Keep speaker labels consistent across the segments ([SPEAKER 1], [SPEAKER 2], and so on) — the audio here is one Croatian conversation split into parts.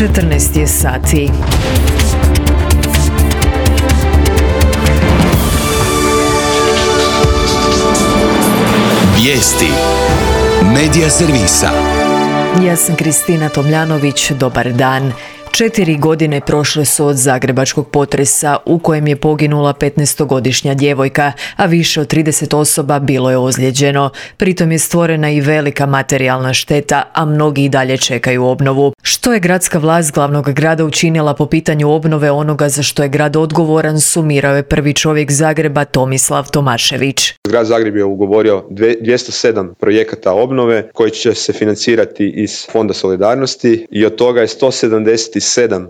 [SPEAKER 1] 14 je sati.
[SPEAKER 2] Vijesti Medija servisa.
[SPEAKER 1] Ja sam Kristina Tomljanović, dobar dan. 4 godine prošle su od zagrebačkog potresa u kojem je poginula 15-godišnja djevojka, a više od 30 osoba bilo je ozlijeđeno. Pritom je stvorena i velika materijalna šteta, a mnogi i dalje čekaju obnovu. Što je gradska vlast glavnog grada učinila po pitanju obnove onoga za što je grad odgovoran, sumirao je prvi čovjek Zagreba Tomislav Tomašević.
[SPEAKER 3] Grad Zagreb je ugovorio 207 projekata obnove koji će se financirati iz Fonda solidarnosti i od toga je 177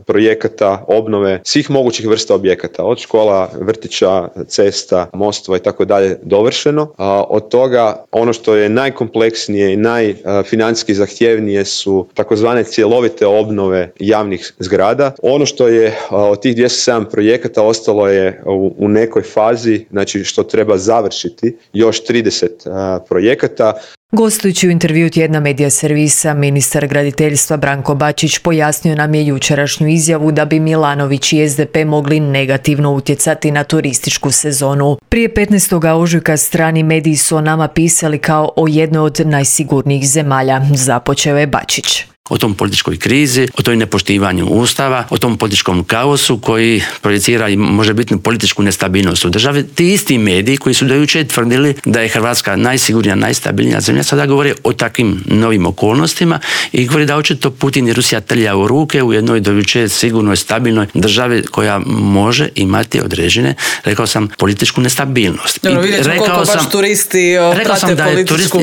[SPEAKER 3] projekata obnove svih mogućih vrsta objekata, od škola, vrtića, cesta, mostova i tako dalje dovršeno. Od toga ono što je najkompleksnije i najfinancijski zahtjevnije su takozvane cjelovite obnove javnih zgrada. Ono što je od tih 207 projekata ostalo je u nekoj fazi, znači što treba završiti, još 30 projekata.
[SPEAKER 1] Gostujući u intervju tjedna Medija servisa, ministar graditeljstva Branko Bačić pojasnio nam je jučerašnju izjavu da bi Milanović i SDP mogli negativno utjecati na turističku sezonu. Prije 15. ožujka strani mediji su o nama pisali kao o jednoj od najsigurnijih zemalja, započeo je Bačić.
[SPEAKER 4] O tom političkoj krizi, o toj nepoštivanju Ustava, o tom političkom kaosu koji projicira i možebitnu političku nestabilnost u državi. Ti isti mediji koji su do jučer tvrdili da je Hrvatska najsigurnija, najstabilnija zemlja, sada govore o takvim novim okolnostima i govori da očito Putin i Rusija trlja u ruke u jednoj do jučer sigurnoj, stabilnoj državi koja može imati određene, rekao sam, političku nestabilnost.
[SPEAKER 5] Vidjet ćemo koliko baš turisti prate političku.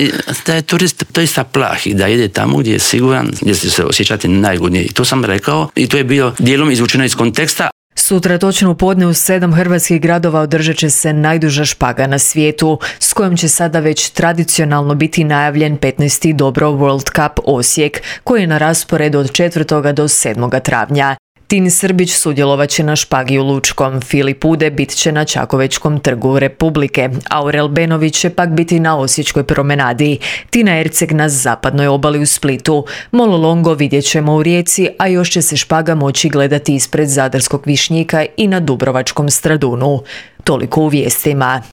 [SPEAKER 4] Da je turist doista plah i da ide tamo gdje je siguran, gdje će se osjećati najgodnije. I to sam rekao i to je bio dijelom izvučeno iz konteksta.
[SPEAKER 1] Sutra točno u podne u 7 hrvatskih gradova održat će se najduža špaga na svijetu, s kojom će sada već tradicionalno biti najavljen 15. Dobro World Cup Osijek, koji je na rasporedu od 4. do 7. travnja. Tin Srbić sudjelovat će na špagi u Lučkom, Filip Ude bit će na Čakovečkom trgu Republike, Aurel Benović će pak biti na Osječkoj promenadi, Tina Erceg na zapadnoj obali u Splitu, Molo Longo vidjet ćemo u Rijeci, a još će se špaga moći gledati ispred Zadarskog Višnjika i na Dubrovačkom Stradunu. Toliko u vijestima.